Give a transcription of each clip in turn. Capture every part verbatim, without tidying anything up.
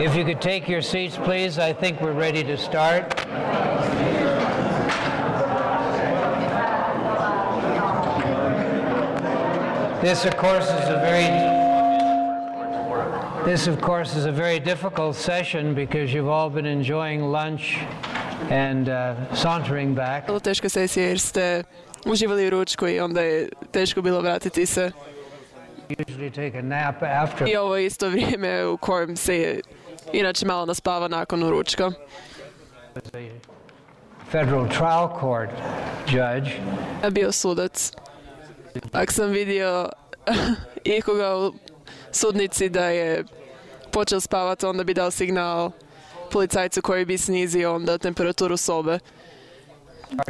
If you could take your seats, please, I think we're ready to start. This, of course, is a very This, of course, is a very difficult session because you've all been enjoying lunch and uh, sauntering back. Vrlo teška sesija jer ste uživali u ručku i onda je teško bilo vratiti se. Usually take a nap after. I ovo je isto vrijeme u kojem se inače malo naspava nakon ručka. Federal trial court judge. Ja bio sudac. Ako sam vidio ikoga u sudnici da je počeo spavati, onda bi dao signal policajcu koji bi snizio onda temperaturu sobe.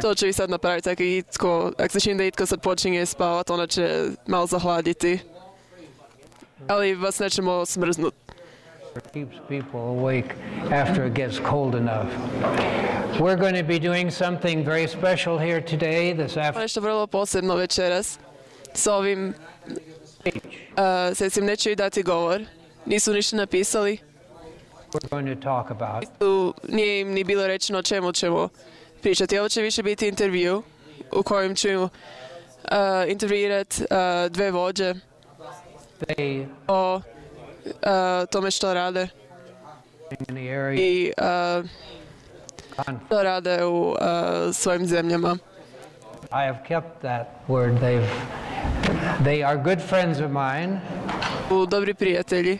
To ću i sad napraviti. Ako, itko, ako se čini da itko sad počinje spavati, onda će malo zahladiti. Ali vas nećemo smrznuti. Keeps people awake after it gets cold enough. We're going to be doing something very special here today, this afternoon. Nešto vrlo posebno večeras. S ovim uh, sesim neću i dati govor. Nisu ništa napisali. We're going to talk about. Tu nije im ni bilo rečeno o čemu ćemo pričati. Ovo će više biti intervju u kojem ću uh, intervjuirati uh, dve vođe They o uh, tome što rade in the area. i uh, što rade u uh, svojim zemljama. I have kept that word. They've, they are good friends of mine. U dobri prijatelji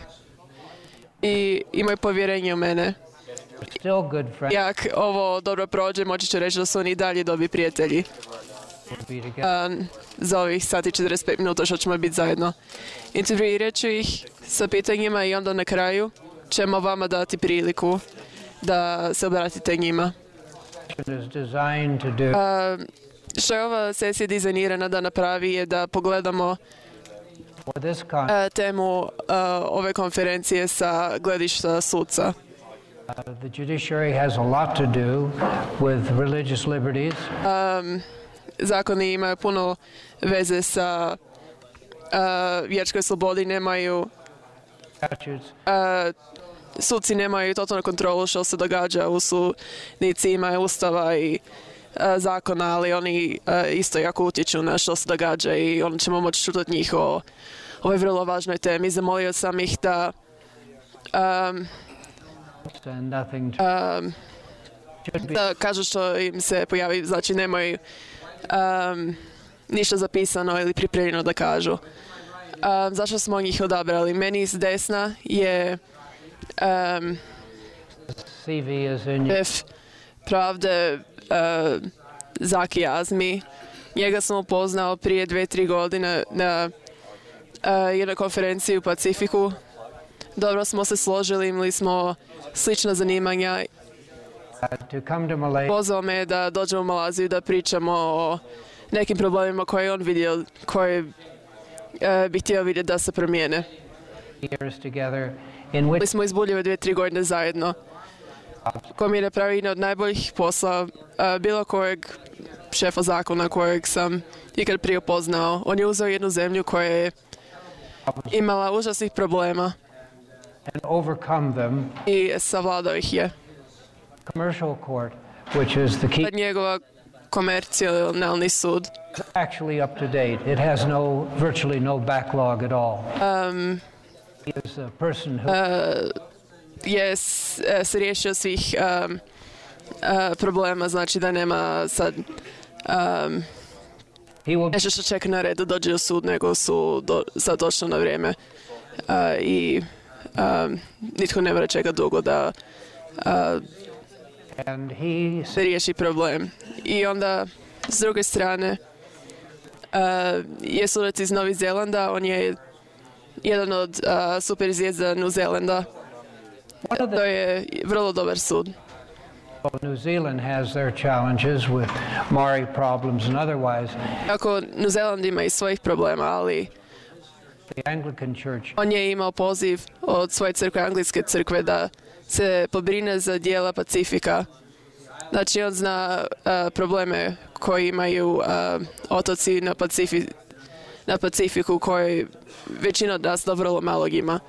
i imaju povjerenje u mene. Still good friends. I ako ovo dobro prođe, moći ću reći da su oni i dalje dobri prijatelji. We'll be together. Uh, za ovih sati i četrdeset pet minuta što ćemo biti zajedno. Intervjuirat ću ih sa pitanjima i onda na kraju ćemo vama dati priliku da se obratite njima. Is designed to do. Uh, što je ova sesija dizajnirana da napravi je da pogledamo For this con- uh, temu uh, ove konferencije sa gledišta sudca. uh, the judiciary has a lot to do with religious liberties. Um, zakoni imaju puno veze sa uh, vjerskoj slobodi, nemaju Statutes. uh, suci nemaju totalnu kontrolu što se događa u sudnici, imaju ustava i uh, zakona, ali oni uh, isto jako utječu na što se događa i onda ćemo moći čutati njih o ovoj vrlo važnoj temi. Zamolio sam ih da um, And nothing to, um, should be. da kažu što im se pojavi, znači nemaju um, ništa zapisano ili pripremljeno da kažu. Um, zašto smo njih odabrali? Meni s desna je um, C V is in. šef pravde uh, Zaki Azmi. Njega sam upoznao prije dve, tri godine na uh, jednoj konferenciji u Pacifiku. Dobro smo se složili, imali smo slična zanimanja. To come to Malaysia. Pozvao me da dođemo u Malaziju da pričamo o nekim problemima koje je on vidio, koje e, bi htio vidjeti da se promijene. Years together, in Bili which smo izbuljeve dvije, tri godine zajedno. Ko mi je napravio jedan od najboljih posla e, bilo kojeg šefa zakona kojeg sam ikad prije upoznao. On je uzeo jednu zemlju koja je imala užasnih problema and overcome them. i savladao ih je. Commercial court, which is the key, Sad njegova komercijalni sud actually up to date. It has no, virtually no backlog at all. um, He is a person who je s- e, se riješio svih um, uh, problema, znači da nema sad um, he will nešto što čeka na red da dođe u sud, nego su do, sad došli na vrijeme uh, i um, nitko ne mora čekati dugo da uh, and he se riješi problem. I onda s druge strane uh, je sudac iz Novog Zelanda, on je jedan od uh, super zvijezda New Zelanda. one of To the je vrlo dobar sud. New Zealand has their challenges with Maori problems and otherwise. Ako New Zealand ima i svojih problema, ali The Anglican Church on je imao poziv od svoje crkve, anglijske crkve, da se pobrine za dijela Pacifika. Znači on zna uh, probleme koje imaju uh, otoci na, Pacifi, na Pacifiku koji većina od nas da vrlo malog ima.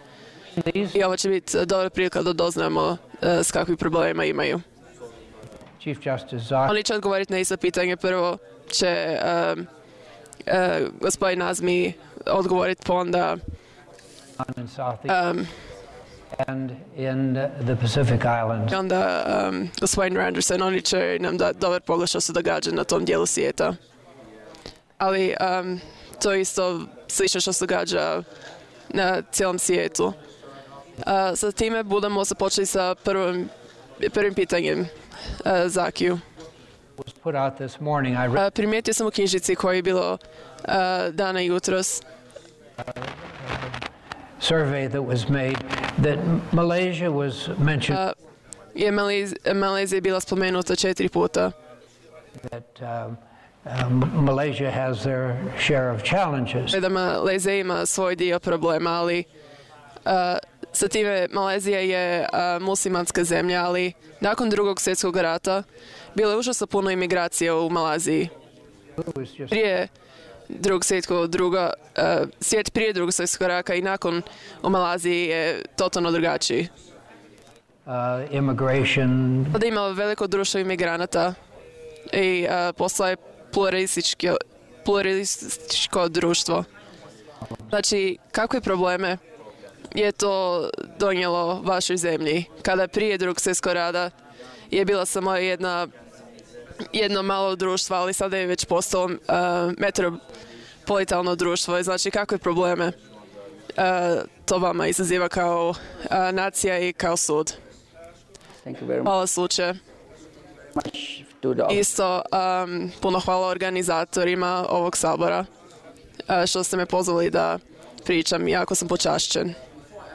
These, I ovo će biti dobra prilika da doznamo uh, s kakvim problema imaju. Chief Justice Zaki Oni će odgovoriti na isto pitanje. Prvo će um, uh, gospodin Azmi odgovoriti, pa onda in South um, and in the Pacific Islands. i onda um, gospodin Randerson. Oni će nam dati dobar pogled što se događa na tom dijelu svijeta. Ali um, to je isto slično što se događa na cijelom svijetu. Uh, sa time budemo se počeli sa prvim, prvim pitanjem uh, Zakiju. Was put out this morning. I read Uh, primijetio sam u knjižici koja je bilo uh, dana jutros survey that was made that Malaysia was mentioned uh, je Malez, Malezija bila spomenuta četiri puta. that um, um, Malaysia has their share of challenges. Da Malezija ima svoj dio problema, ali uh, sa time Malezija je uh, muslimanska zemlja, ali nakon drugog svjetskog rata bilo je užasno puno imigracije u Maleziji. It was just Prije drugog svjetskog druga, uh, svijet prije drugog svjetskog rata i nakon u Maleziji je totalno drugačiji. uh, immigration, Sada ima veliko društvo imigranata i uh, postala je pluralističko, pluralističko društvo. Znači, kakve probleme je to donijelo vašoj zemlji? Kada prije drugog svjetskog rata je bila samo jedna, jedno malo društvo, ali sada je već postalo uh, metropolitalno društvo. Znači, kakve probleme uh, to vama izaziva kao uh, nacija i kao sud? Thank you very Hvala slučaju. much to the Isto um, puno hvala organizatorima ovog sabora uh, što ste me pozvali da pričam, jako sam počašćen.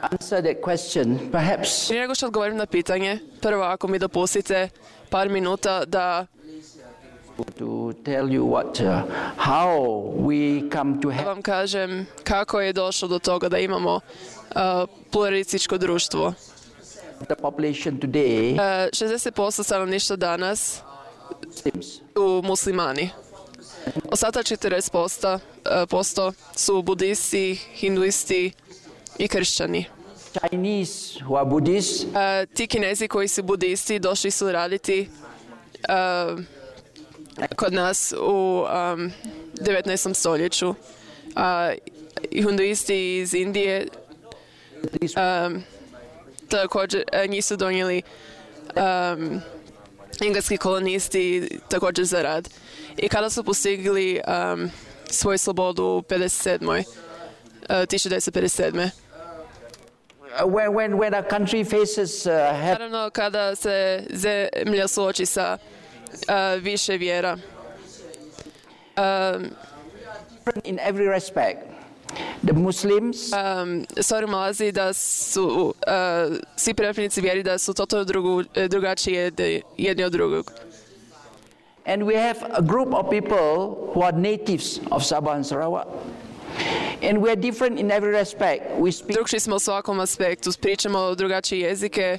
answer that question. Perhaps Prije nego što odgovorim na pitanje, prvo ako mi dopustite par minuta da to tell you what, uh, how we come to have vam kažem kako je došlo do toga da imamo uh, pluralističko društvo. the population today Uh, šezdeset posto stanovništva danas Muslims. su muslimani. Ostatak četrdeset posto, uh, posto su budisti, hinduisti i kršćani. Chinese who are Buddhists, Uh, ti Kinezi koji su budisti došli su raditi uh, kod nas u um, devetnaestom stoljeću. A hinduisti iz Indije um, također uh, njih su donijeli um, engleski kolonisti također za rad. I kada su postigli um, svoju slobodu u pedeset sedmoj. Uh, tisuću devetsto pedeset sedme. uh, when, when, when a country faces uh, have Naravno, kada se zemlja suoči sa uh, više vjera, um, in every respect, the Muslims um, stvari u Maleziji da su uh, svi pripadnici vjeri da su totalno drugu, drugačiji jed- jedni od drugog. and we have a group of people who are natives of Sabah and Sarawak. And we are different in every respect. We speak Drugčiji smo u svakom aspektu, pričamo drugačije jezike,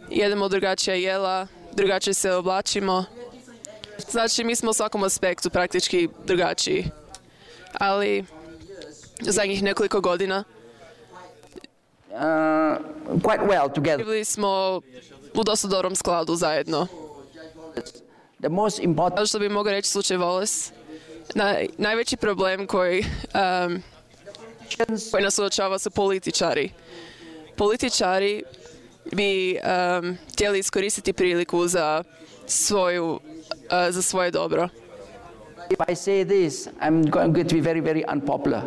jedemo drugačija jela, drugačije se oblačimo. Znači, mi smo u svakom aspektu praktički drugačiji. Ali u zadnjih nekoliko godina uh, quite well together. bili smo u dosta dobrom skladu zajedno. The most important Kao što bi mogao reći slučaj Wallace, naj, najveći problem koji, um, koji nas suočava su političari. Političari bi um, htjeli iskoristiti priliku za, svoju, uh, za svoje dobro. if I say this, I'm going to be very, very unpopular.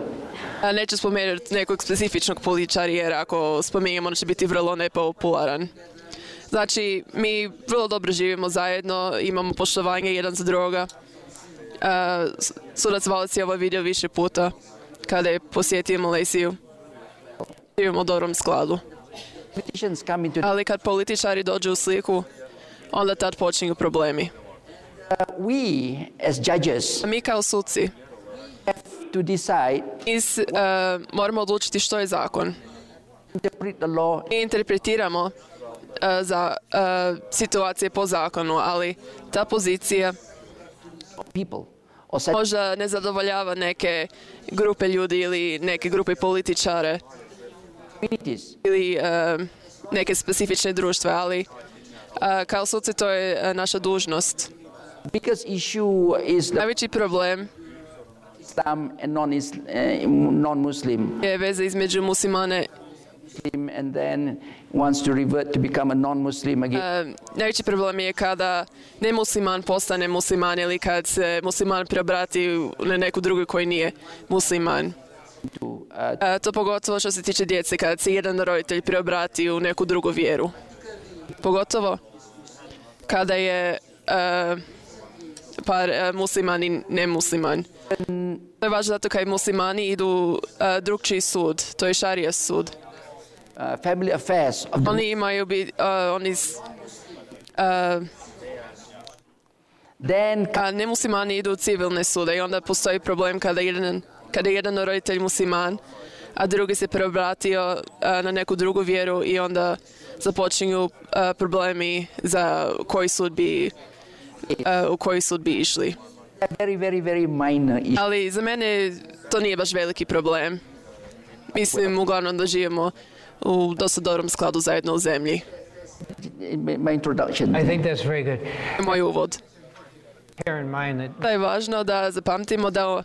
A neću spomenuti nekog specifičnog političara jer ako spominjem on će biti vrlo nepopularan. Znači, mi vrlo dobro živimo zajedno, imamo poštovanje jedan za drugoga. Uh, sudac Wallace je ovo vidio više puta kada je posjetio Maleziju. Živimo u dobrom skladu. Politicians come into Ali kad političari dođu u sliku, onda tad počinju problemi. we as judges A mi kao suci have to decide, iz, uh, moramo odlučiti što je zakon. interpret the law Mi interpretiramo uh, za uh, situacije po zakonu, ali ta pozicija of people or such možda ne zadovoljava neke grupe ljudi ili neke grupe političare. communities. ili uh, neke specifične društva, ali uh, kao suci to je uh, naša dužnost. Biggest issue is the Najveći problem Islam and non-Is- uh, non-Muslim, je veza između muslimane. and then wants to revert to become a non-Muslim again. Uh, najveći problem je kada nemusliman postane musliman ili kad se musliman preobrati na neku drugu koji nije musliman. To, uh, Uh, to pogotovo što se tiče djece, kada se jedan roditelj preobrati u neku drugu vjeru. Pogotovo kada je uh, par uh, musliman i nemusliman. To je važno zato kad muslimani idu uh, drugčiji sud, to je šarija sud. uh, family affairs of the, Oni imaju bi, uh, oni s- uh, then a nemuslimani idu u civilne sude i onda postoji problem kada jedan, kada je jedan roditelj musliman, a drugi se preobratio uh, na neku drugu vjeru i onda započinju uh, problemi za koji sud bi, uh, u koji sud bi išli. very, very, very minor issue. Ali za mene to nije baš veliki problem. Mislim, uglavnom da živimo u dosta dobrom skladu zajedno u zemlji. My my introduction. I think that's very good. Moj uvod. Bear in mind that Da je važno da zapamtimo da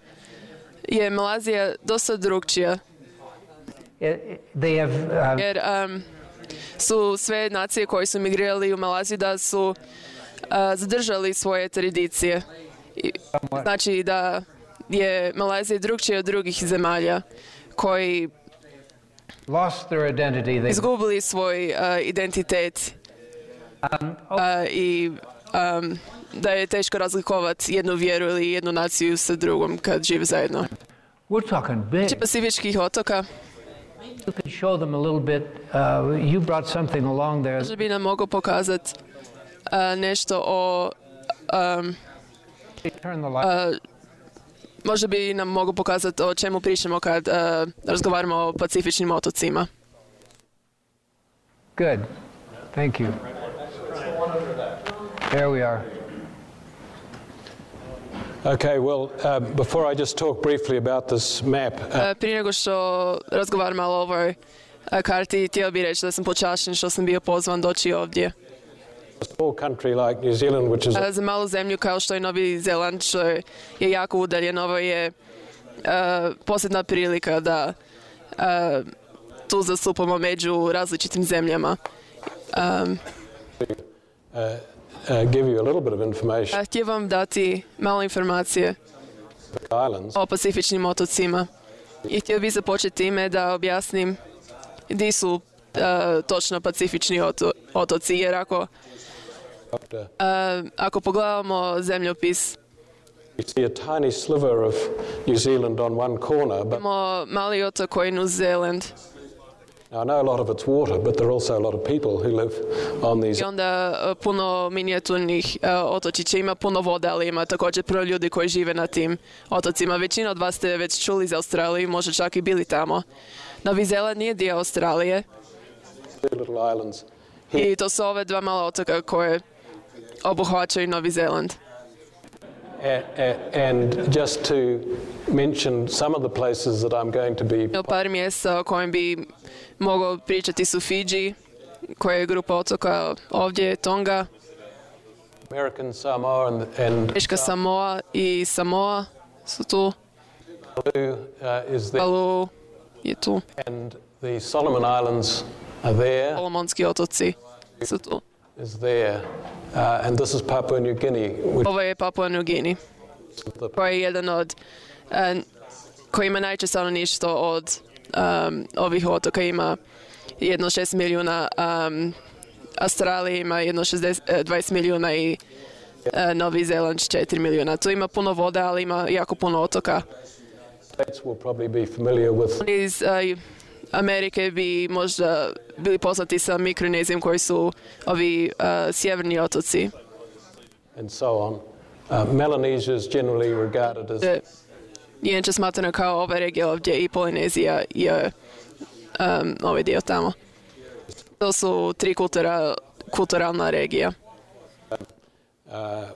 je Malazija dosta drugčija, it, they have um, jer um, su sve nacije koje su migrirali u Malaziju da su uh, zadržali svoje tradicije. I, znači da je Malazija drugčija od drugih zemalja koji lost their identity. They izgubili svoj uh, identitet um, uh, i um, da je teško razlikovati jednu vjeru ili jednu naciju sa drugom kad žive zajedno. we're talking big. Pacifičkih otoka, You could show them a little bit. Uh, you brought something along there. možda bi nam mogao pokazati uh, nešto o um, Turn the light. uh, možda bi nam mogao pokazati o čemu pričamo kad uh, razgovaramo o pacifičnim otocima. Good. Thank you. There we are. Okay, well, uh, before I just talk briefly about this map, uh, Uh, prije nego što razgovaram malo o ovoj uh, karti, htio bih reći da sam počašćen što sam bio pozvan doći ovdje. a small country like New Zealand, which is Uh, za malu zemlju kao što je Novi Zeland, što je, je jako udaljen, ovo je uh, posljedna prilika da uh, tu zastupamo među različitim zemljama. Um, uh, uh, give you a little bit of information a htio vam dati malo informacije about the islands. o pacifičnim otocima. I htio bih započeti time da objasnim gdje su uh, točno pacifični oto- otoci, jer ako, Uh, uh, ako pogledamo zemljopis, you see a tiny sliver of New Zealand on one corner, but imamo mali otok koji je New Zealand. now I know a lot of it's water, but there are also a lot of people who live on these. I onda uh, puno minijaturnih uh, otočića, ima puno vode, ali ima također puno ljudi koji žive na tim otocima. Većina od vas ste već čuli za Australiju, možda čak i bili tamo. Novi Zeland nije dio Australije Two little islands. i to su ove dva mala otoka koje obuhvaćaju Novi Zeland. A- a- and just to mention some of the places that I'm going to be, Ima par mjesta o kojem bi mogao pričati su Fiji, koja je grupa otoka ovdje, Tonga, American Samoa and, and Teška Samoa i Samoa su tu, Palau uh, is there, Palu je tu, and the Solomon Islands are there. Solomonski otoci su tu. Is there, uh, and this is Papua New Guinea, which Ovo je Papua New Guinea, is the koji je jedan od, uh, koji ima najčešće stanovništvo od um, ovih otoka, ima jedno šest milijuna, um, Australija ima jedno šezdeset, eh, dvadeset milijuna i uh, Novi Zeland četiri milijuna. Tu ima puno vode, ali ima jako puno otoka. States will probably be familiar with. Iz uh, Amerike bi možda bili poznati sa Mikronezijom, koji su ovi uh, sjeverni otoci. And so on. Uh, Melanesia is generally regarded as E, Inače smatrano kao ova regija ovdje i Polinezija i um, ovaj dio tamo. To su tri kultura, kulturalna regija. uh,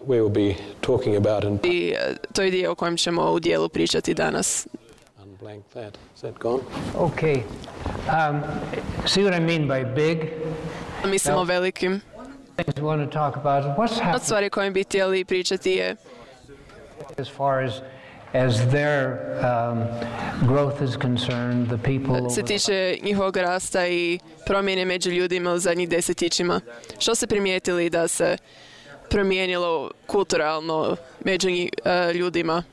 we will be talking about in I uh, to je dio o kojem ćemo u dijelu pričati danas. unblank that. Is that gone? Okay. Um, see what I mean by big? Mislimo velikim. Things we want to talk about. What's Od happening stvari kojim bi htjeli pričati je as far as as their um, growth is concerned, the people se over tiče njihovog rasta i promjene među ljudima u zadnjih desetljećima. Što ste primijetili da se promijenilo kulturalno među nji- uh, ljudima?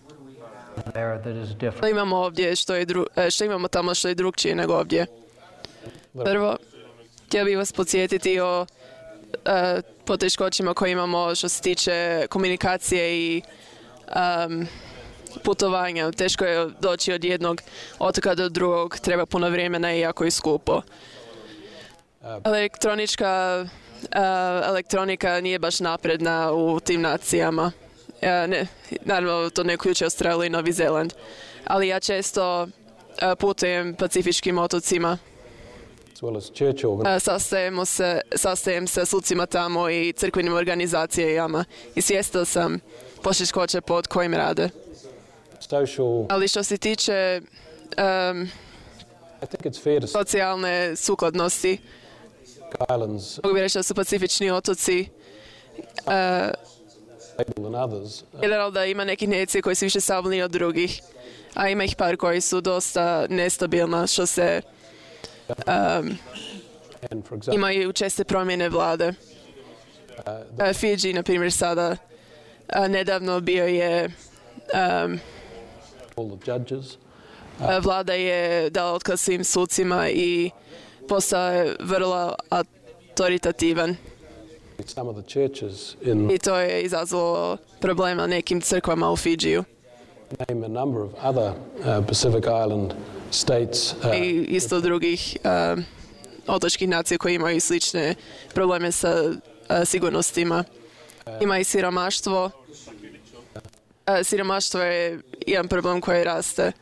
there that is Što different? imamo ovdje, što, je dru- e, što imamo tamo što je drugčije nego ovdje? Prvo, htio bih vas podsjetiti o e, poteškoćima koje imamo što se tiče komunikacije i um, putovanja. Teško je doći od jednog otoka do drugog, treba puno vremena i jako je skupo. Elektronička e, elektronika nije baš napredna u tim nacijama. E, ne, naravno, to ne uključuje Australiju i Novi Zeland. Ali ja često e, putujem pacifičkim otocima. as well as church organ. E, Sastajemo se, sastajem se s lucima tamo i crkvenim organizacijama i svjestan sam poteškoća pod kojim rade. Social, Ali što se tiče um, I think it's fair to say socijalne sukladnosti, islands mogu bi reći da su pacifični otoci uh, stable than others. Uh, generalno da ima nekih nacija koji su više stabilni od drugih, a ima ih par koji su dosta nestabilna što se um, and for example, imaju česte promjene vlade. uh, Uh, Fiji, na primjer, sada uh, nedavno bio je um, all the judges. uh, vlada je dala otkaz svim sucima i postao je vrlo autoritativan Some of the churches in i to je izazvalo problema nekim crkvama u Fidžiju. name a number of other uh, Pacific Island states. Uh, I isto drugih uh, otočkih nacija koji imaju slične probleme sa uh, sigurnostima. Ima i siromaštvo. Uh, siromaštvo je jedan problem koji raste.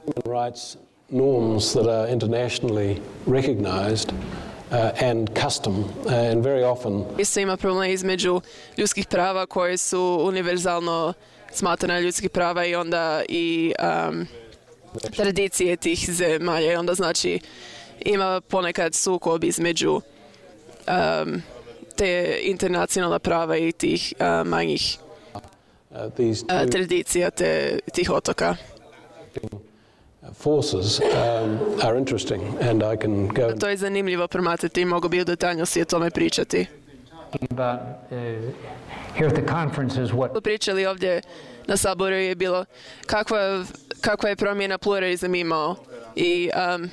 human rights norms that are internationally recognized uh, and custom, uh, and very often Isto ima problem između ljudskih prava koje su univerzalno smatrane ljudskih prava i onda i um, tradicije tih zemalja. I onda znači ima ponekad sukob između um, te internacionalna prava i tih uh, manjih uh, these uh, two tradicija te, tih otoka. forces um, are interesting, and I can go. To je zanimljivo promatrati i mogu bi u detaljnosti o tome pričati. About uh, here at the conference is what Pričali ovdje na Saboru je bilo kakva, kakva je promjena pluralizam imao i um,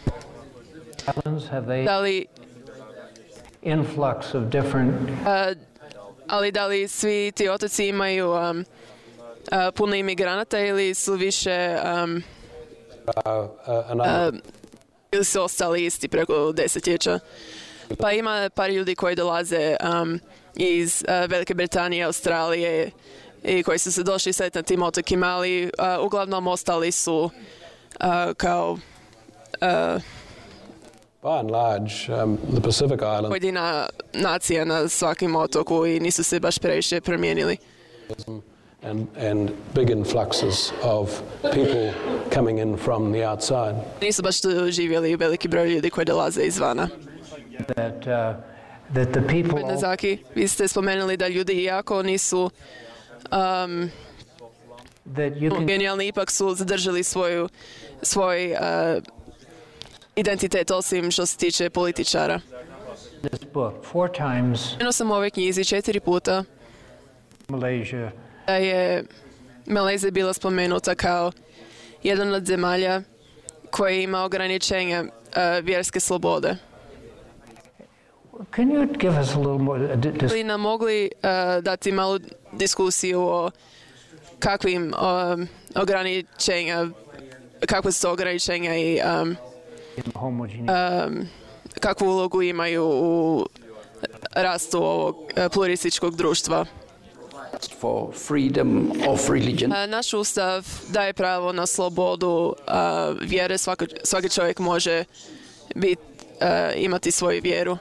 islands have they da li, influx of different uh, ali da li svi ti otoci imaju um, uh, puno imigranata ili su više um, Uh, uh, another, uh, ili su ostali isti preko desetljeća. Pa ima par ljudi koji dolaze um, iz uh, Velike Britanije, Australije i koji su se došli sad na tim otokima, ali uh, uglavnom ostali su uh, kao uh, by and large, um, the Pacific Islands pojedina nacija na svakim otoku i nisu se baš previše promijenili. and and big influxes of people coming in from the outside. Nisu baš tu živjeli veliki broj ljudi koji dolaze izvana. that uh, that the people Nazaki, vi ste spomenuli da ljudi iako nisu um, that you can genijalni, ipak su zadržali svoju, svoj uh, identitet osim što se tiče političara. this book four times Spomenuo sam u ovoj knjizi četiri puta Malaysia da je Malezija bila spomenuta kao jedan od zemalja koji ima ograničenja uh, vjerske slobode. can you give us a little more uh, di- dis- Bi nam mogli uh, dati malu diskusiju o kakvim um, ograničenja, kakve su to ograničenja i um, homogeneous um, kakvu ulogu imaju u rastu ovog uh, pluralističkog društva. for freedom of religion. Uh, naš ustav daje pravo na slobodu uh, vjere, svaki, svaki čovjek može bit, uh, imati svoju vjeru,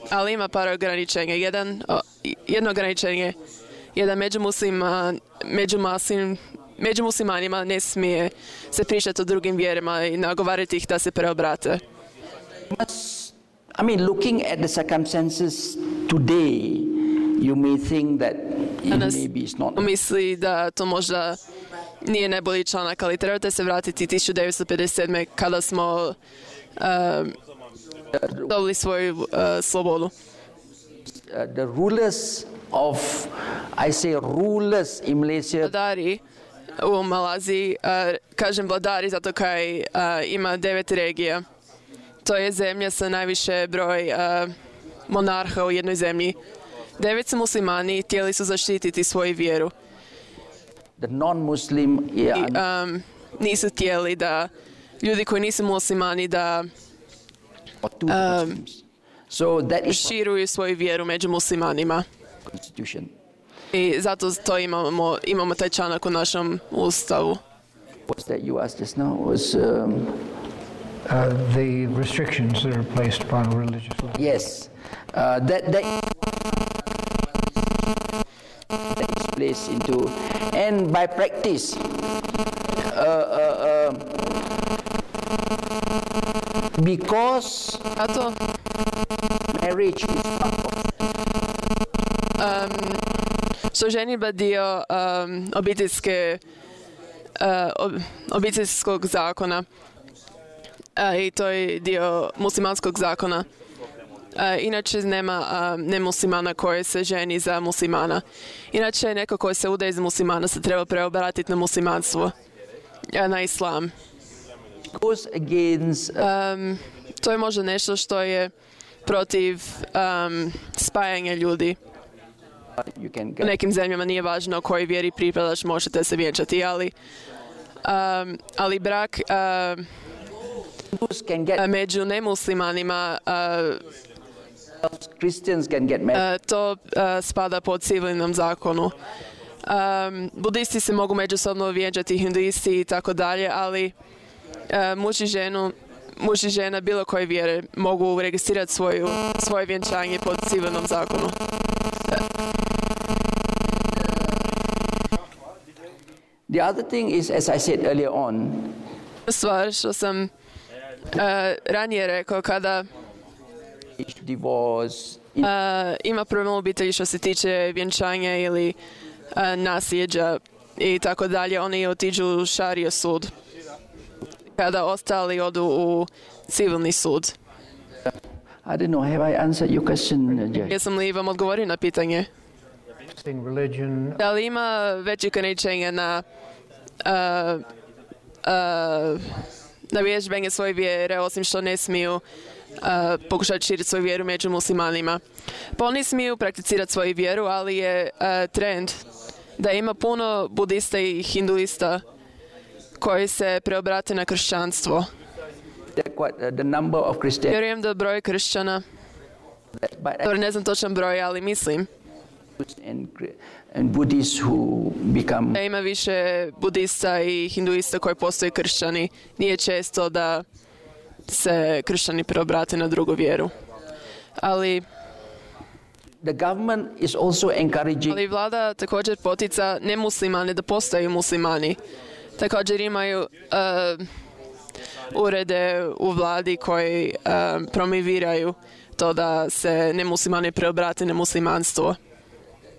ali ima par ograničenja. Jedan, o, jedno ograničenje je da među, muslima, među, muslim, među muslimanima ne smije se pričati o drugim vjerama i nagovarati ih da se preobrate. must, I mean, looking at the circumstances today, you may think that it Danas maybe it's not. misli da to možda nije najbolji članak, ali trebate se vratiti tisuću devetsto pedeset sedme kada smo uh, dobili svoju uh, slobodu. Uh, the rulers of, I say rulers in Malaysia, Vladari u Malaziji, uh, kažem vladari zato kaj uh, ima devet regija. To je zemlja sa najviše broj uh, monarha u jednoj zemlji. Devet su muslimani, htjeli su zaštititi svoju vjeru. the non-Muslim, yeah, I, um, nisu htjeli da ljudi koji nisu muslimani da or two Muslims. So that is širuju svoju vjeru među muslimanima. constitution. I zato to imamo, imamo taj članak u našem ustavu. What's that you asked just now? Was um, Uh, the restrictions that are placed upon religious liberty. yes, uh, that that that is placed into, and by practice, uh, uh, uh, because Zato marriage is part of što ženidba dio um, obiteljske, uh, ob, obiteljskog zakona uh, i to je dio muslimanskog zakona. Uh, inače nema uh, nemuslimana koji se ženi za muslimana. Inače neko koji se udaje za muslimana se treba preobratiti na muslimanstvo, uh, na islam. goes against uh, Um, to je možda nešto što je protiv um, spajanja ljudi. you can U get nekim zemljama nije važno kojoj vjeri pripadaš, možete se vjenčati, ali, um, ali brak uh, Hindus can get među nemuslimanima, uh, Christians can get married. uh, to uh, spada pod civilnom zakonu. Um, budisti se mogu međusobno vjenčati, hinduisti i tako dalje, ali uh, muž i ženu muž i žena bilo koje vjere mogu registrirati svoju, svoje vjenčanje pod civilnom zakonu. The other thing is, as I said earlier on, Stvar što sam uh, ranije rekao, kada divorce, uh, ima problem u obitelji što se tiče vjenčanja ili uh, nasljeđa i tako dalje, oni otiđu u šario sud. Kada ostali odu u civilni sud. I don't know, have I answered your question, uh, Judge? Jesam li vam odgovorio na pitanje? Religion, Da li ima veće ograničenja na uh, uh, na vježbenje svoje vjere, osim što ne smiju uh, pokušati širiti svoju vjeru među muslimanima? Pa oni smiju prakticirati svoju vjeru, ali je uh, trend da ima puno budista i hinduista koji se preobrate na kršćanstvo. That quite, uh, the number of Christians, Vjerujem da broj kršćana, but dobro, ne znam točan broj, ali mislim and, and Buddhists who become da ima više budista i hinduista koji postaju kršćani. Nije često da se kršćani preobrate na drugu vjeru. Ali, the government is also encouraging ali vlada također potica nemuslimane da postaju muslimani. Također imaju uh, urede u vladi koji uh, promoviraju to da se nemuslimani preobrate na muslimanstvo.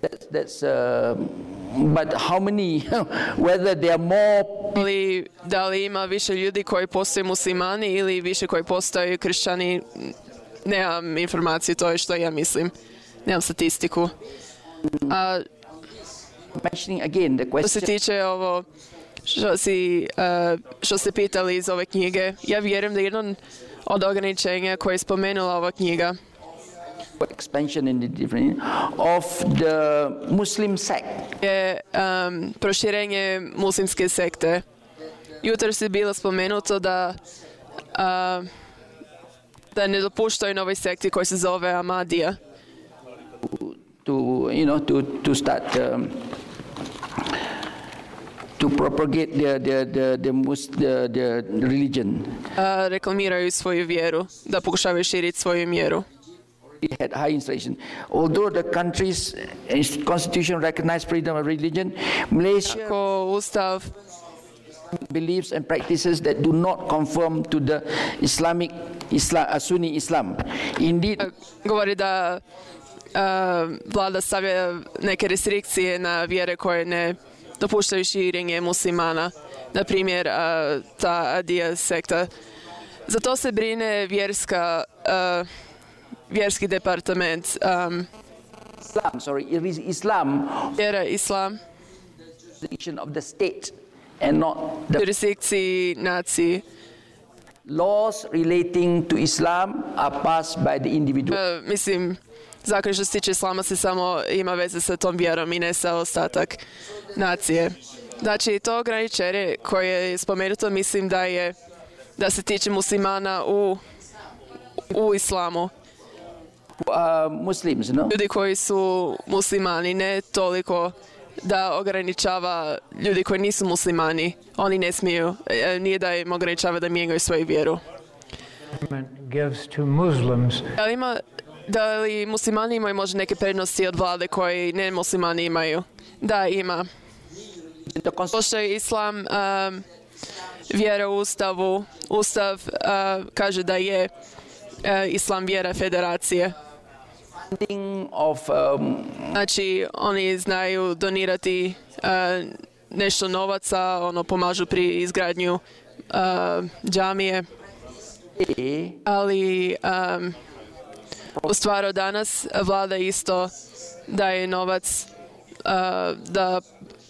that's, that's uh, but how many whether there are more Ali da li ima više ljudi koji postaju muslimani ili više koji postaju kršćani, nemam informaciju, to je što ja mislim. Nemam statistiku. A mentioning again the što se question tiče ovo što, si, uh, što ste pitali iz ove knjige, ja vjerujem da jedno od ograničenja koje je spomenula ova knjiga expansion in the different of the Muslim sect. je um, proširenje muslimske sekte. Jutros je bilo spomenuto da uh, da ne dopuštaju novoj sekti koji se zove Ahmadija. To you know to to start um, to propagate the the the the, mus, the, the religion. Uh, reklamiraju svoju vjeru, da pokušavaju širiti svoju vjeru. It had high inflation. Although the country's constitution recognized freedom of religion, Malaysia Ko ustav beliefs and practices that do not conform to the Islamic Islam, uh, Sunni Islam. Indeed, Govori da uh, vlada stavlja neke restrikcije na vjere koje ne dopuštaju širenje muslimana. Na primjer, uh, ta Adija sekta. Za to se brine vjerska, uh, vjerski departament. Um, Islam, sorry, it is Islam, vjera Islam, jurisdiction of the state and not the jurisdikciji naciji. laws relating to Islam are passed by the individual. Uh, mislim, zakon što se tiče islama se samo ima veze sa tom vjerom i ne sa ostatak nacije. Znači, to ograničenje koje je spomenuto, mislim da je da se tiče muslimana u, u islamu. Uh, Muslims, no? Ljudi koji su muslimani, ne toliko da ograničava ljudi koji nisu muslimani. Oni ne smiju, nije da im ograničava da mijenjaju svoju vjeru. Gives to Muslims. Da li, ima, da li muslimani imaju možda neke prednosti od vlade koje ne muslimani imaju? Da, ima. Pošto je islam um, vjera u ustavu, ustav uh, kaže da je uh, islam vjera federacije. Of, um, Znači, oni znaju donirati uh, nešto novaca, ono, pomažu pri izgradnju uh, džamije. Ali um, u stvaru danas vlada isto daje novac uh, da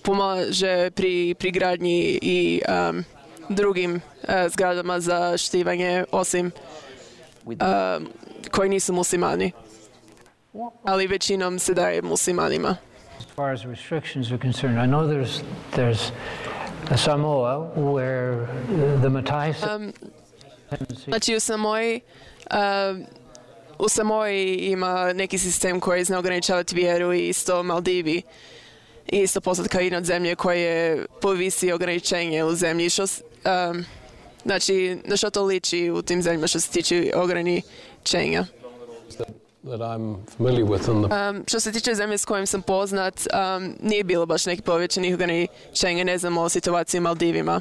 pomaže pri, pri gradnji i um, drugim uh, zgradama za štivanje, osim uh, koji nisu muslimani. Ali većinom se daje muslimanima. As far as restrictions are concerned, I know there's there's a Samoa where the Matai Um, znači u Samoji uh, u Samoji ima neki sistem koji zna ograničavati vjeru i isto Maldivi. I isto poznat kao jedna od zemlje koje povisi ograničenje u zemlji. Što, um, znači, na što to liči u tim zemljama što se tiče ograničenja? That I'm familiar with in the Um, što se tiče zemlje s kojim sam poznat, um, nije bilo baš neki povećanih ograničenja, ne znam o situaciji u Maldivima.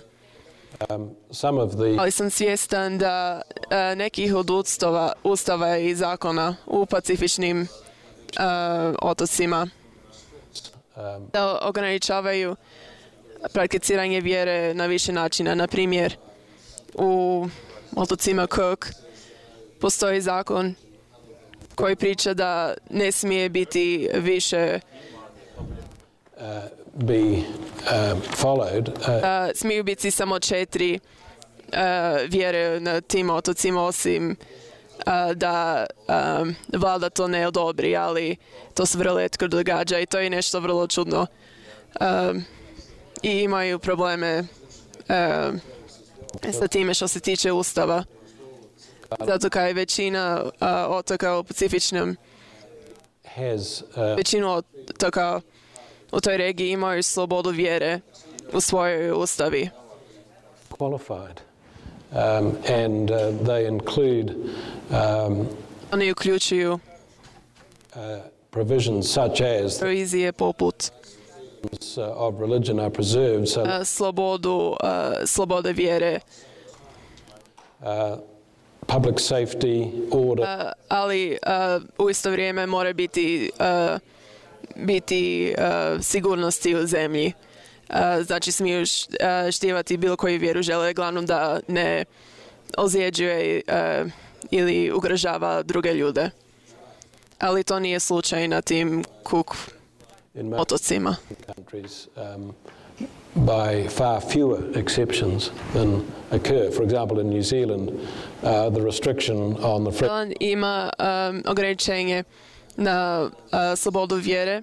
um, some of the Ali sam svjestan da uh, nekih od ustava, ustava i zakona u pacifičnim uh, otocima um, da ograničavaju prakticiranje vjere na više načina. Na primjer, u otocima Cook postoji zakon koji priča da ne smije biti više uh, be um, followed uh, uh, smiju biti samo četiri uh, vjere na tim otocima, osim uh, da um, vlada to ne odobri, ali to se vrlo rijetko događa i to je nešto vrlo čudno. Um, I imaju probleme um, sa time što se tiče ustava. Zato kao je većina uh, otoka u Pacifičnom, has uh, većinu otoka u toj regiji imaju slobodu vjere u svojoj ustavi. qualified, um, and uh, they include um, Oni uključuju uh, provisions such as provizije poput uh, of religion are preserved, so uh, slobodu, uh, slobode vjere, uh, public safety, order, uh, ali uh, u isto vrijeme mora biti, uh, biti uh, sigurnosti u zemlji. Uh, znači smiju š, uh, štivati bilo koju vjeru žele, glavnom da ne ozljeđuje uh, ili ugrožava druge ljude. Ali to nije slučaj na tim Cook in most otocima. countries um, by far fewer exceptions than occur. For example, in New Zealand, uh, the restriction on the free Zeland ima um, ograničenje na uh, slobodu vjere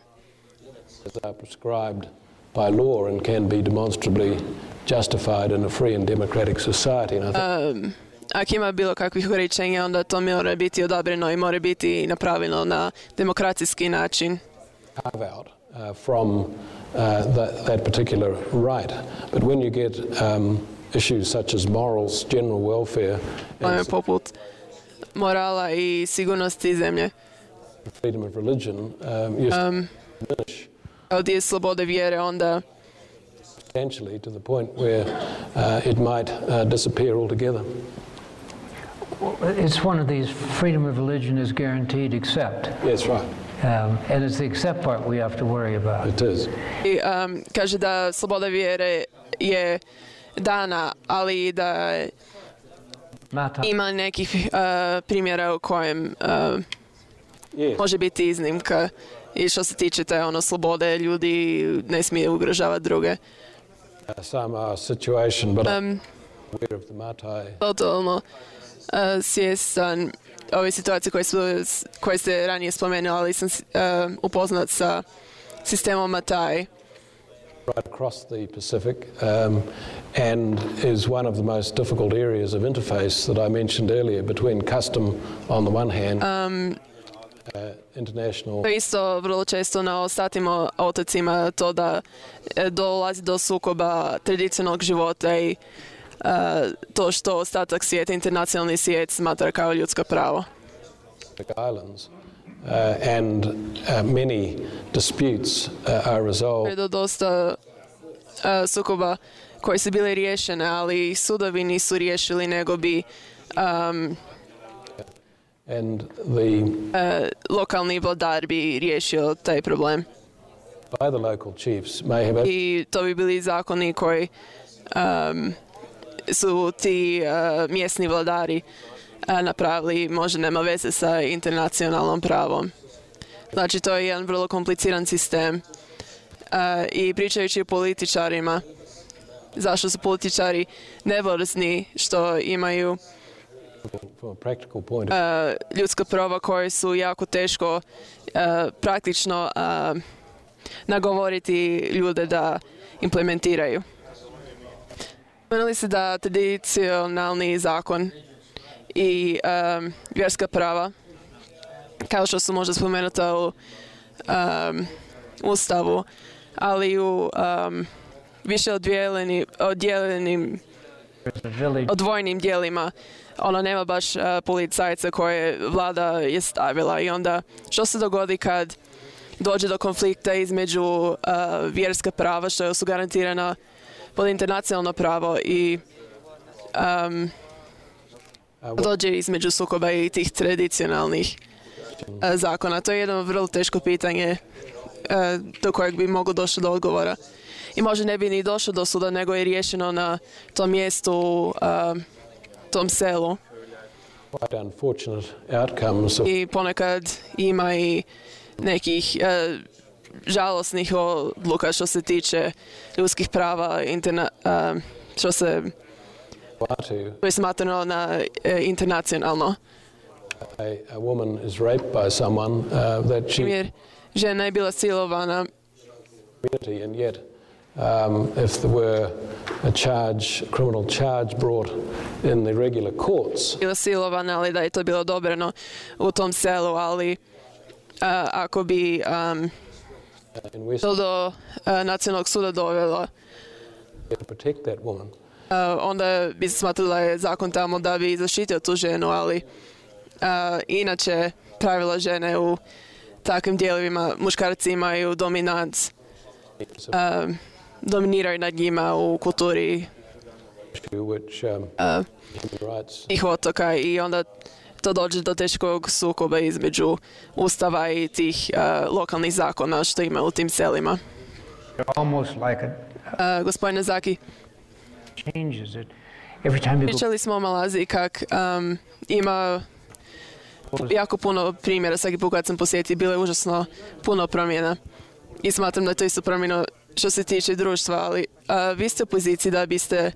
are prescribed by law and can be demonstrably justified in a free and democratic society. And I think um, ako ima bilo kakvih ograničenja, onda to mora biti odabreno i mora biti napravljeno na demokratski način. carve out uh, from uh, that, that particular right. But when you get um, issues such as morals, general welfare, Ono je and poput morala i sigurnosti zemlje. freedom of religion, um, you Um, diminish od je slobode vjere, onda substantially to the point where uh, it might uh, disappear altogether. it's one of these, freedom of religion is guaranteed except. Yes, right. Um, and it's the except part we have to worry about. It is. I, um, kaže da sloboda vjere je dana, ali da Mata. ima nekih uh, primjera u kojem uh, Yes. može biti iznimka. I što se tiče te ono slobode, ljudi ne smije ugrožavati druge. Uh, some are situation, but I'm Um, aware of the Matai. totalno uh, svjestan ove situacije koje, su, koje ste ranije spomenuli, ali sam uh, upoznat sa sistemom Matai. Right across the Pacific, um, and is one of the most difficult areas of interface that I mentioned earlier between custom on the one hand, Um, uh, international To je isto vrlo često na ostatim o- otocima to da e, dolazi do sukoba tradicionalnog života i e, to što ostatak svijeta, internacionalni svijet smatra kao ljudsko pravo. islands, uh, and uh, many disputes uh, are Je resolved do dosta e, sukoba koji su bili riješene, ali sudovi nisu riješili nego bi um, and the e, lokalni vladar bi riješio taj problem. by the local chiefs may have I to bi bili zakoni koji um, su ti uh, mjesni vladari uh, napravili, možda nema veze sa internacionalnom pravom. Znači to je jedan vrlo kompliciran sistem. Uh, I pričajući o političarima, zašto su političari nevoljni što imaju from a practical point of uh, ljudska prava koje su jako teško uh, praktično uh, nagovoriti ljude da implementiraju. Spomenuli se da tradicionalni zakon i um, vjerska prava, kao što su možda spomenuta u um, Ustavu, ali u um, više oddijeleni, oddijeljenim Village. odvojenim dijelima, ono nema baš uh, policajca koje vlada je stavila i onda što se dogodi kad dođe do konflikta između uh, vjerska prava što su garantirana pod internacionalno pravo i um, uh, what dođe između sukoba i tih tradicionalnih uh, zakona. To je jedno vrlo teško pitanje uh, do kojeg bi moglo došlo do odgovora. I možda ne bi ni došlo do suda, nego je riješeno na tom mjestu, uh, tom selu. quite unfortunate outcomes of I ponekad ima i nekih uh, žalosnih odluka što se tiče ljudskih prava, interna, uh, što se Vanuatu. što je smatrano na uh, internacionalno. A, a woman is raped by someone uh, that she Primjer, žena je bila silovana community, and yet um, if there were a charge, criminal charge brought in the regular courts, bila silovana, ali da je to bilo odobreno u tom selu, ali uh, ako bi um, in West to do uh, nacionalnog suda dovelo, to protect that woman, uh, onda bi se smatralo da je zakon tamo da bi zaštitio tu ženu, ali uh, inače pravila žene u takvim dijelovima, muškarci imaju dominanc, it's a uh, dominiraju nad njima u kulturi issue which um, uh, human rights tih otoka i onda to dođe do teškog sukoba između ustava i tih uh, lokalnih zakona što ima u tim selima. Almost like a Uh, gospodine Zaki, changes it every time you go. pričali smo o Malaziji kak um, ima jako puno primjera, svaki put kad sam posjetio, bilo je užasno puno promjena i smatram da je to isto promjeno što se tiče društva, ali uh, vi ste u poziciji da biste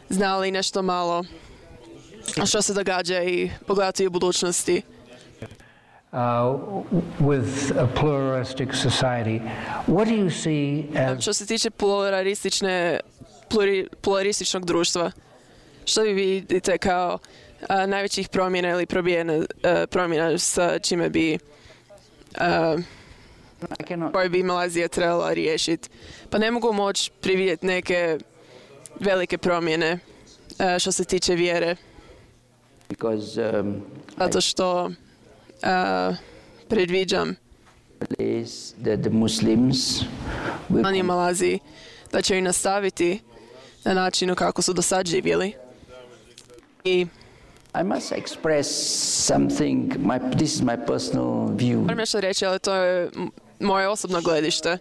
znali nešto malo što se događa i pogledati u budućnosti. Uh, with a pluralistic society, what do you see as Što se tiče pluralistične, pluri, pluralističnog društva, što vi vidite kao a, najvećih promjena ili probijena, a, promjena sa čime bi a, I cannot. koje bi Malazija trebala riješiti? Pa ne mogu moći prividjeti neke velike promjene a, što se tiče vjere, Because um, zato što a, predviđam is that the Muslims will oni u Malaziji da će i nastaviti na načinu kako su do sad živjeli. I I must express something, my, this is my personal view. Moram nešto reći, ali to je m- moje osobno gledište.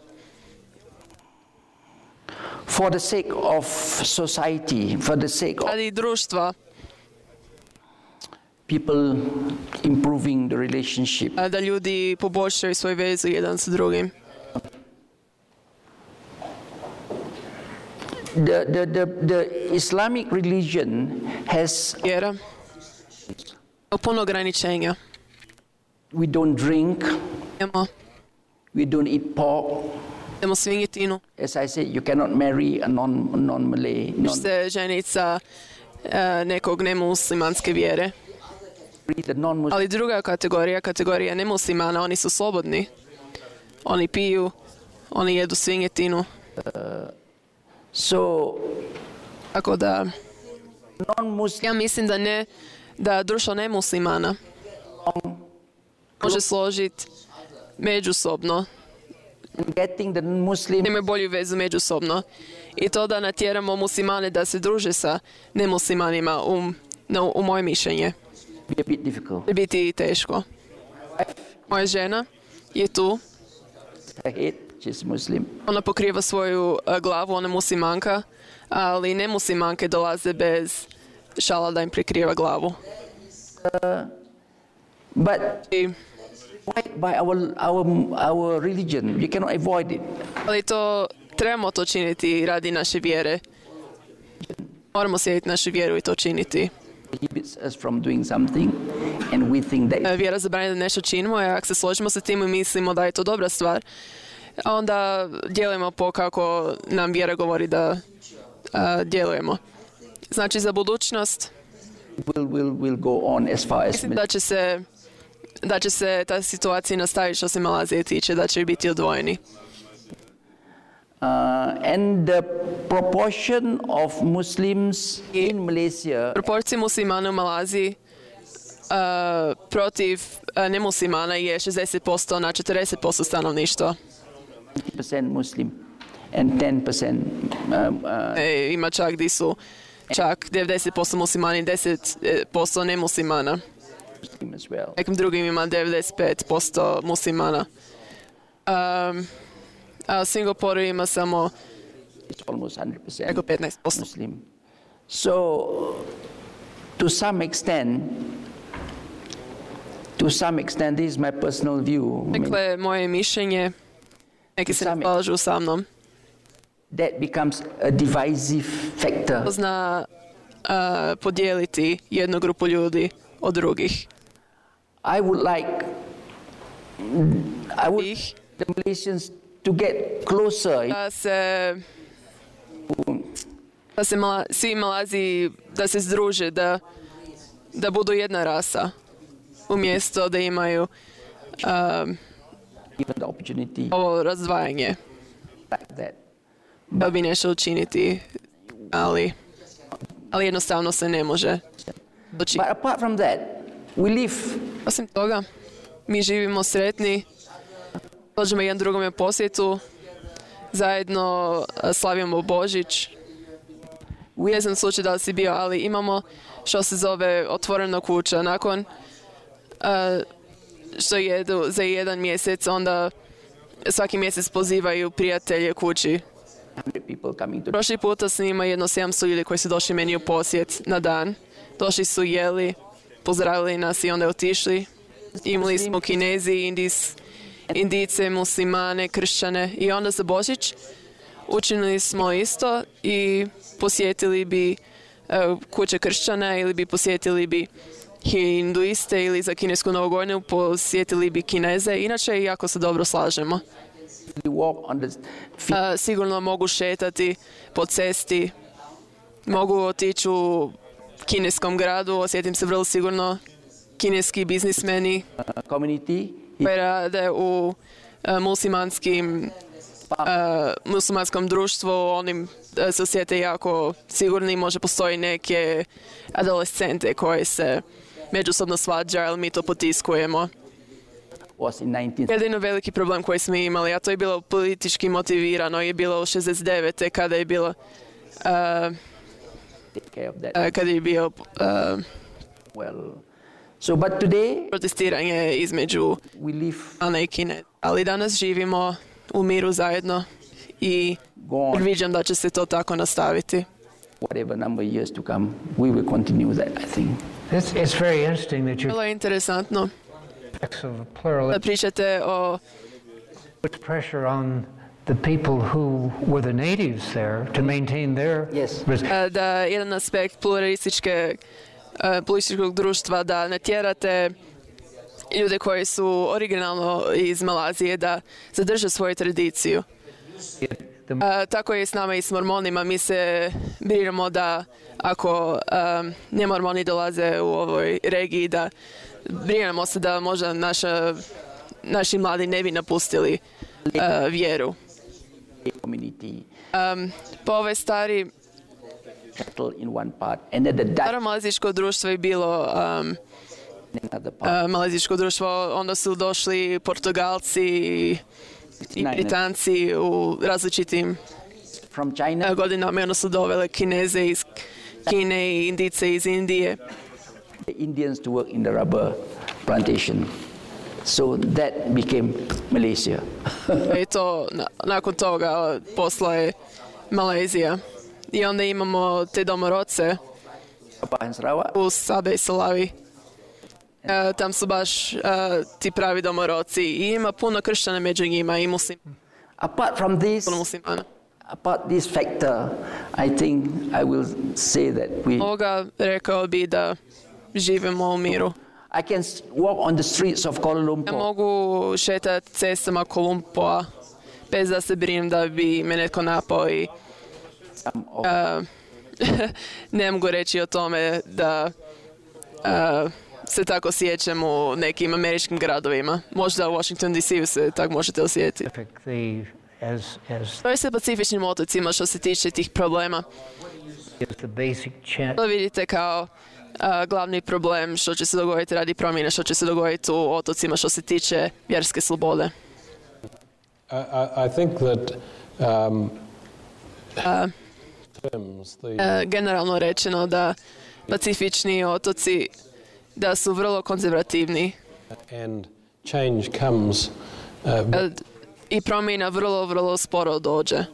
For the sake of society, for the sake of Radi društva, people improving the relationship, a, da ljudi poboljšaju svoju vezu jedan sa drugim. the, the, the, the Islamic religion has, Vjera. Puno ograničenja. we don't drink, Idemo, we don't eat pork. idemo svinjetinu. As I said, you cannot marry a non, non-Malay, non Se ženit sa e, nekog nemuslimanske vjere. the non-Muslim. Ali druga kategorija, kategorija nemuslimana, oni su slobodni. Oni piju, oni jedu svinjetinu. So Tako da, non-Muslim ja mislim da ne, da društvo nemuslimana može složiti međusobno, getting the Muslim imaju bolju vezu međusobno. I to da natjeramo muslimane da se druže sa nemuslimanima, u, no, u moje mišljenje, be a bit difficult. će biti teško. Moja žena je tu, Her head, she's Muslim. ona pokriva svoju a, glavu, ona je muslimanka, ali nemuslimanke dolaze bez šala da im prekriva glavu. But I, by, by our, our, our religion, you cannot avoid it. ali to trebamo to činiti radi naše vjere. Moramo slijediti našu vjeru i to činiti. Prohibits us from doing something, and we think that E, Vjera zabranjuje da nešto činimo, a ako se složimo sa tim i mislimo da je to dobra stvar, onda djelujemo po kako nam vjera govori da a, djelujemo. Znači za budućnost will will will go on as far as mislim da će se da će se ta situacija nastaviti što se Malazije tiče, da će biti odvojeni. uh, and the proportion of Muslims in Malaysia Proporcije muslimana u Malaziji a, protiv a, nemuslimana je šezdeset posto na četrdeset posto stanovništva. ninety percent Muslim and ten percent um, uh, E, ima čak di su čak devedeset posto muslimani i deset posto nemuslimana. Muslim as well. Nekim drugim ima devedeset pet posto muslimana. Um, a u Singapuru ima samo It's almost one hundred percent preko petnaest posto. Muslim. So, to some extent, to some extent, this is my personal view. I mean, Dakle, moje mišljenje, neki se ne Sami- slažu sa mnom, that becomes a divisive factor. to zna a, podijeliti jednu grupu ljudi od drugih. I would like, I would Ih, the Malaysians to get closer. da se da se mala, svi Malaziji da se združe, da, da budu jedna rasa, umjesto da imaju um, Given the opportunity ovo razdvajanje, like that. da bi nešto učiniti, ali, ali jednostavno se ne može doći. But apart from that, we live Osim toga, mi živimo sretni, dođemo jedan drugome u posjetu, zajedno a, slavimo Božić. Ne znam slučaj da li si bio, ali imamo što se zove otvorena kuća. Nakon a, što jedu za jedan mjesec, onda svaki mjesec pozivaju prijatelje kući. one hundred people coming to Prošli puta s njima jedno sedamsto ljudi koji su došli meni u posjet na dan. Došli su, jeli, pozdravili nas i onda otišli. Imali smo Kinezi, Indis, Indice, muslimane, kršćane i onda za Božić učinili smo isto i posjetili bi uh, kuće kršćana ili bi posjetili bi hinduiste ili za kinesku novogodinu posjetili bi Kineze. Inače, jako se dobro slažemo. walk on the field. Uh, sigurno mogu šetati po cesti, mogu otići u kineskom gradu, osjetim se vrlo sigurno. Kineski biznismeni uh, community. koji rade u uh, muslimanskim uh, muslimanskom društvu, oni uh, se osjete jako sigurni. Može postoji neke adolescente koje se međusobno svađaju, ali mi to potiskujemo. Was in nineteen Jedino veliki problem koji smo imali, a to je bilo politički motivirano, je bilo u šezdeset devete kada je bilo uh, take care of that. uh, kada je bio uh, well. So, but today protestiranje između we live Ana i Kine. Ali danas živimo u miru zajedno i gone. viđam da će se to tako nastaviti. Whatever number of years to come, we will continue that, I think. It's, it's very interesting that you Vrlo je interesantno of plural da pričate o puts pressure on the people who were the natives there to maintain their Yes. res- da jedan aspekt pluralističke e, pluralističkog društva da natjerate ljude koji su originalno iz Malazije da zadrže svoju tradiciju. the E, tako je s nama i s mormonima. Mi se brinemo da ako um, nemormoni dolaze u ovoj regiji, da brinemo se da možda naša, naši mladi ne bi napustili e, vjeru. Community Um, po ovoj stari settle in one part, and then the Dutch staro malazijsko društvo je bilo um, in another part. uh, malazijsko društvo, onda su došli Portugalci i, i Ne, ne. Britanci u različitim From China, uh, godinama i onda su dovele Kineze iz Kine i Indice iz Indije. the Indians to work in the rubber plantation. So that became Malaysia. I to na, nakon toga posla je Malezija. I onda imamo te domorodce Sabah and Sarawak. u Sabe i Salavi. E, tam su baš e, ti pravi domorodci i ima puno kršćana među njima i muslim, Apart from this, puno muslimana. apart this factor, I think I will say that we. Ovoga rekao bi da živimo u miru. I can s- walk on the streets of Kuala Ja Lumpur mogu šetati cestama Kolumpoa bez da se brinem da bi me netko napao i some of e, ne mogu reći o tome da e, se tako sjećam u nekim američkim gradovima. Možda u Washington D C-u se tako možete osjetiti. the as as To je sa pacifičnim otocima što se tiče tih problema. is the basic chant. To vidite kao a, glavni problem što će se dogoditi radi promjene, što će se dogoditi u otocima što se tiče vjerske slobode. I, I, I think that um, A, terms, the, e, generalno rečeno da pacifični otoci da su vrlo konzervativni and change comes uh, e, i promjena vrlo, vrlo sporo dođe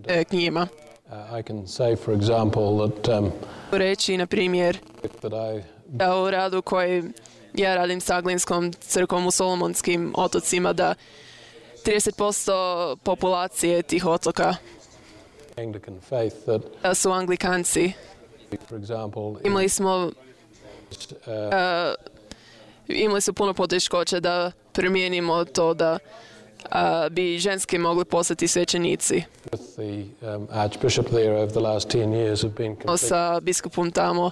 e, k njima. uh, I can say, for example, that um, Reći, na primjer, that I da u radu koji ja radim s Aglinskom crkvom u Solomonskim otocima, da trideset posto populacije tih otoka Anglican faith that, da su Anglikanci. for example, Imali smo, uh, uh, imali su puno poteškoća da promijenimo to da uh, bi ženski mogli postati svećenici. with the um, Archbishop there over the last ten years have been completely Sa biskupom tamo,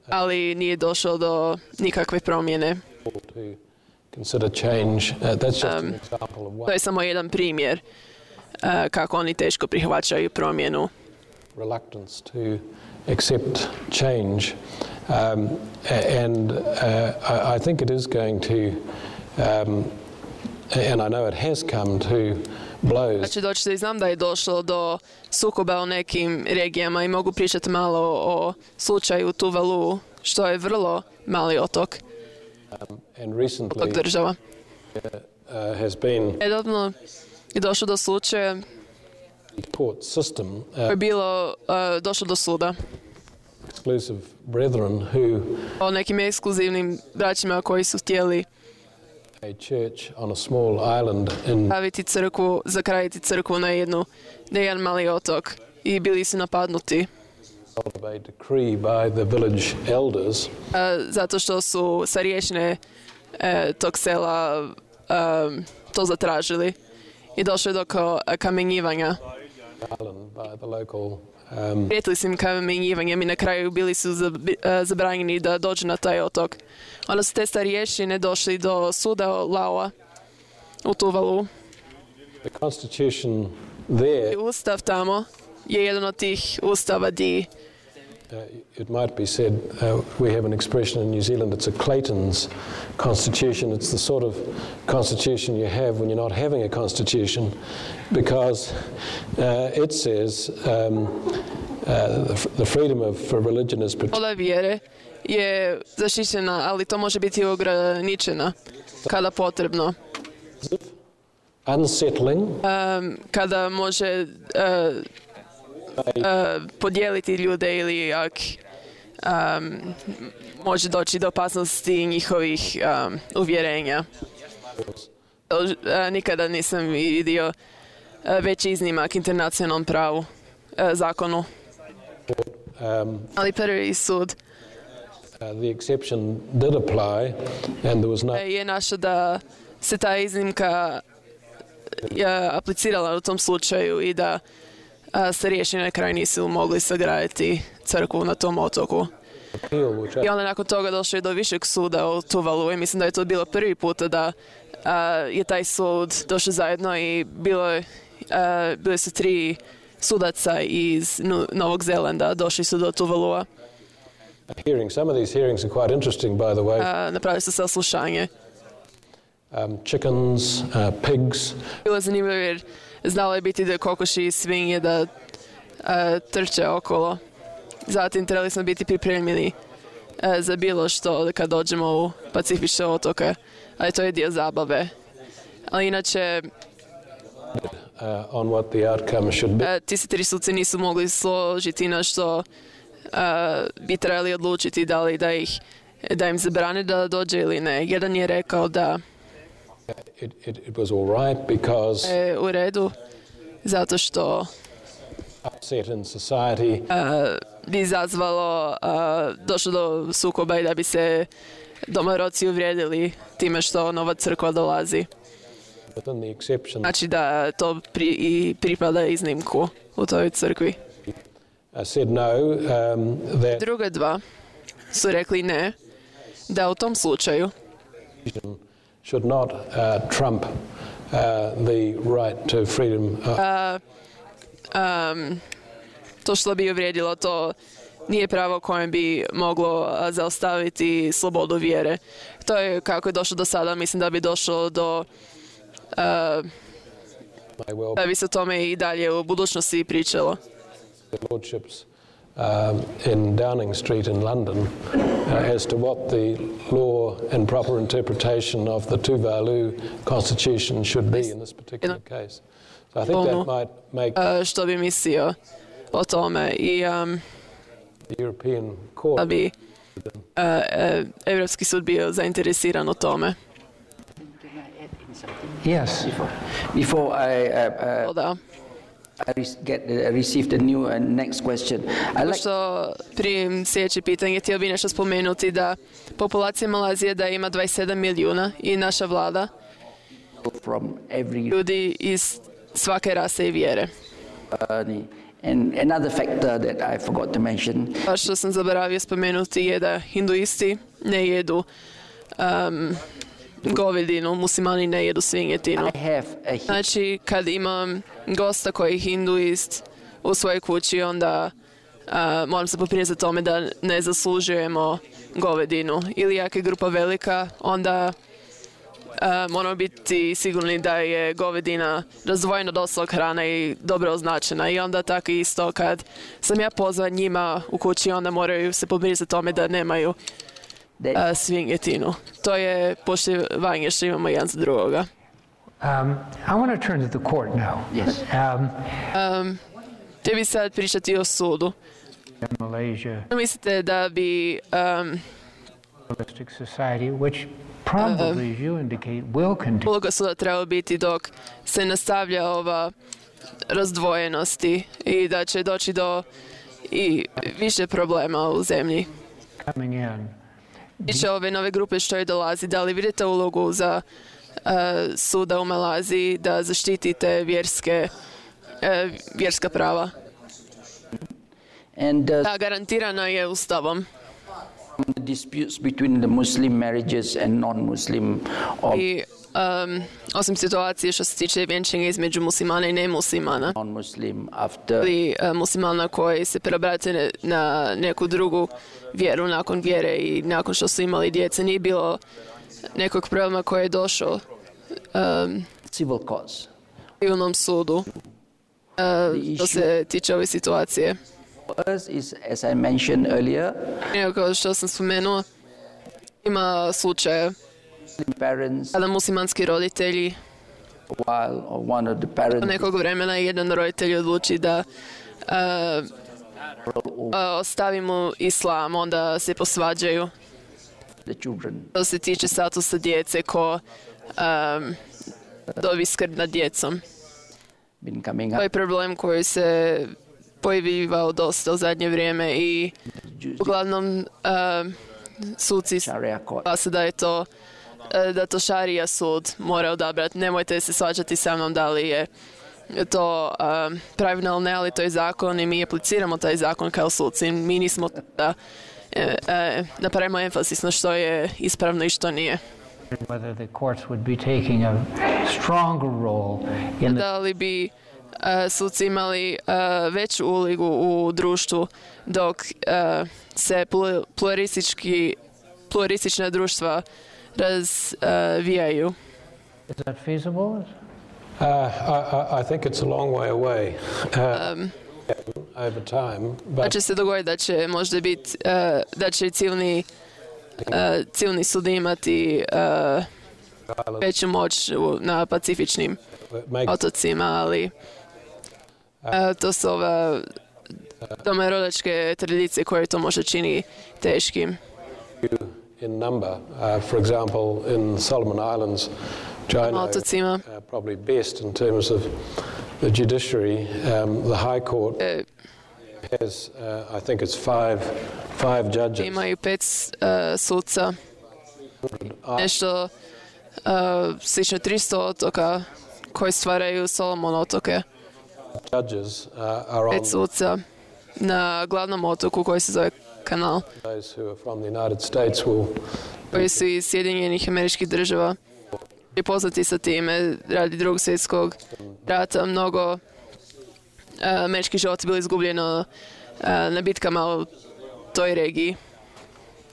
ali nije došlo do nikakve promjene. to consider change. Uh, that's just an Um, example of To one je samo jedan primjer uh, kako oni teško prihvaćaju promjenu. reluctance to accept change. Um, a- and uh, I, I think it is going to, um, and I know it has come to blows. Znači doći i znam da je došlo do sukoba u nekim regijama i mogu pričati malo o slučaju Tuvalu, što je vrlo mali otok, Um, and recently otok država. uh, has been Nedavno je došlo do slučaja the court system, uh, koje je bilo uh, došlo do suda exclusive brethren who o nekim ekskluzivnim braćima koji su htjeli a church on a small island in staviti crkvu, zakraditi crkvu na jednu, na jedan mali otok i bili su napadnuti of a decree by the village elders uh, zato što su starješine uh, tog sela um, to zatražili i došlo je do ko- kamenjivanja. island by the local um, Prijetili su im kamenjivanjem i na kraju bili su zab- uh, zabranjeni da dođu na taj otok. Onda su te starješine došli do suda Laoa u Tuvalu. the constitution there. I ustav tamo je jedan od tih ustava di Uh, it might be said, uh, we have an expression in New Zealand, it's a Clayton's constitution. It's the sort of constitution you have when you're not having a constitution, because uh, it says um, uh, the, f- the freedom of for religion is protected. sloboda vjere je zaštićena, ali to može biti ograničena kada potrebno. Unsettling. Um, kada može uh, uh, podijeliti ljude ili ak um, može doći do opasnosti njihovih um, uvjerenja. Uh, nikada nisam vidio uh, veći iznimak internacionalnom pravu, uh, zakonu. Um, Ali prvi sud uh, the exception did apply, and there was no. je našao da se ta iznimka je aplicirala u tom slučaju i da a, se riješeni na kraju nisu mogli sagraditi crkvu na tom otoku. I onda nakon toga došlo je do višeg suda u Tuvalu i mislim da je to bilo prvi puta da a, je taj sud došao zajedno i bilo je, a, bili su tri sudaca iz Novog Zelanda, došli su do Tuvalua. Hearing, some of these hearings are quite interesting, by the way. A, napravili su saslušanje. Um, chickens, uh, pigs. Bilo je zanimljivo jer znalo je biti da kokoši i svinje da uh, trče okolo. Zatim trebali smo biti pripremljeni uh, za bilo što kad dođemo u Pacifične otoke, ali to je dio zabave. Ali inače uh, on what the outcome should be. Uh, ti se tri suci nisu mogli složiti na što uh, bi trebali odlučiti da li da ih da im zabrane da dođe ili ne. Jedan je rekao da It, it, it was all right because e, u redu, zato što upset in society uh, bi izazvalo, uh, došlo do sukoba i da bi se domorodci uvrijedili time što nova crkva dolazi. within the exception. Znači da to pri, i pripada iznimku u toj crkvi. I said no, um, that Druga dva su rekli ne, da u tom slučaju should not uh, trump uh, the right to freedom. Uh, um, to što bi uvrijedilo, to nije pravo kojem bi moglo a, zaustaviti slobodu vjere. To je kako je došlo do sada, mislim da bi došlo do a, may well da bi se o tome i dalje u budućnosti pričalo. be lordships um, in Downing Street in London uh, as to what the law and proper interpretation of the Tuvalu Constitution should be in this particular case. So I think that might make A, što bi mislio o tome i um, the European da Court bi a, a, Evropski sud bio zainteresiran o tome. Yes. Before, before I, uh, uh, Da. I re- get uh, received a new uh, next question, I like Što prije sljedeće pitanje, htio bi nešto spomenuti da populacija Malazije da ima dvadeset sedam milijuna i naša vlada from every ljudi iz svake rase i vjere. uh, and another factor that I forgot to mention. Pa što sam zaboravio spomenuti je da hinduisti ne jedu um, govedinu, muslimani ne jedu svinjetinu. I have a hi- Znači, kad imam gosta koji je hinduist u svojoj kući, onda uh, moram se poprinjeti za tome da ne zaslužujemo govedinu. Ili ako je grupa velika, onda uh, moramo biti sigurni da je govedina razdvojena od ostalog hrana i dobro označena. I onda tako isto kad sam ja pozvan njima u kući, onda moraju se poprinjeti za tome da nemaju that uh, svinjetinu. To je poštivanje što imamo jedan za drugoga. Um, I want to turn to the court now. yes. Um, Um, Htio bi sad pričati o sudu. in Malaysia Mislite da bi um, Pluralistic Society, which probably, as you indicate, will continue. uloga suda trebala biti dok se nastavlja ova razdvojenosti i da će doći do i više problema u zemlji. Coming in. Tiče ove nove grupe što je dolazi, da li vidite ulogu za uh, suda u Malaziji da zaštitite vjerske, uh, vjerska prava? And uh, Da, garantirana je ustavom. the disputes between the Muslim marriages and non-Muslim, or I um, osim situacije što se tiče vjenčanja između muslimana i nemuslimana, non-Muslim after ili uh, muslimana koji se preobrate ne- na neku drugu vjeru nakon vjere i nakon što su imali djece, nije bilo nekog problema koji je došao um, civil courts. civilnom sudu uh, što se tiče ove situacije. First is, as I mentioned earlier, Evo, kao što sam spomenuo, ima slučaje parents, kada muslimanski roditelji while or one of the parents od nekog vremena jedan roditelj odluči da uh, uh, ostavimo islam, onda se posvađaju. the children. To se tiče statusa djece ko um, dobi skrb nad djecom. Been coming To up. je problem koji se pojavljivao dosta u zadnje vrijeme i uglavnom uh, suci Sharia court. glasa da je to uh, da to šarija sud mora odabrati. Nemojte se svađati sa mnom da li je to um, pravilno ili ne, ali to je zakon i mi apliciramo taj zakon kao suci. Mi nismo da e, e, napravimo emphasis na što je ispravno i što nije. Whether the courts would be taking a stronger role in the Da li bi uh, suci imali uh, veću ulogu u društvu dok uh, se plu- pluralistički, pluralistična društva razvijaju. Is that feasible? Uh, I, I, I think it's a long way away uh, over time, Da but će se dogoditi da će možda biti, uh, da će civilni, uh, civilni sud imati uh, veću moć u- na pacifičnim it makes otocima, ali uh, to su ove domorodečke tradicije koje to možda čini teškim. you in number. Uh, for example, in Solomon Islands, which I know Otocima uh, probably best in terms of the judiciary, um, the High Court e, has, uh, I think it's five, five judges. imaju pet uh, suca, nešto uh, slično tristo otoka koji stvaraju Solomon otoke. Judges uh, are on Pet suca na glavnom otoku koji se zove Kanal, those who are from the United States will koji su iz Sjedinjenih Američkih Država i poznati sa time radi drugog svjetskog rata. Mnogo uh, američkih života bilo izgubljeno uh, na bitkama u toj regiji.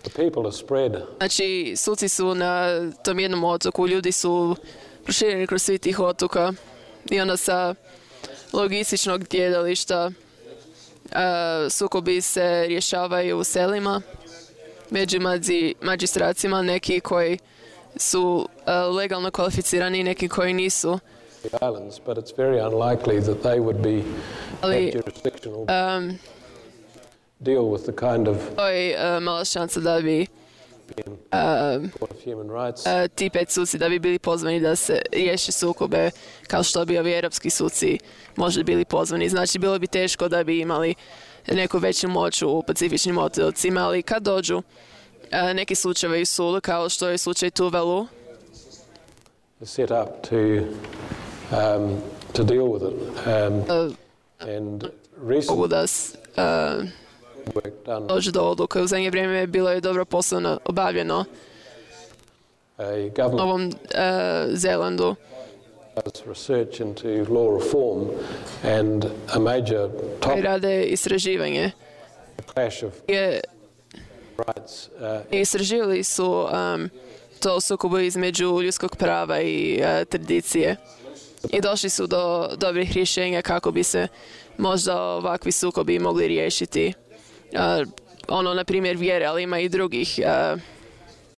the people are spread Znači, suci su na tom jednom otoku, ljudi su prošireni kroz svih tih otoka i onda sa logističnog gledališta uh, sukobi se rješavaju u selima među mađi, magistracima, neki koji su uh, legalno kvalificirani i neki koji nisu. the islands, but it's very unlikely that they would be Ali have jurisdiction or um, deal with the kind of to je uh, mala šansa da bi um, Court of Human Rights. uh, ti pet suci da bi bili pozvani da se riješe sukobe kao što bi ovi europski suci možda bili pozvani. Znači, bilo bi teško da bi imali neku veću moć u pacifičnim otocima, ali kad dođu uh, neki slučajevi u sudu, kao što je slučaj Tuvalu, set up to um, to deal with it. Um, uh, and recent mogu da s- uh, work done, dođu do odluke. U zadnje vrijeme bilo je dobro poslovno obavljeno a u government Novom uh, Zelandu. does research into law reform, and a major Koji topic rade istraživanje. clash of Je, rights uh, istraživali su um, to sukobu između ljudskog prava i uh, tradicije. I došli su do dobrih rješenja kako bi se možda ovakvi sukobi mogli riješiti. Uh, ono, na primjer, vjere, ali ima i drugih uh,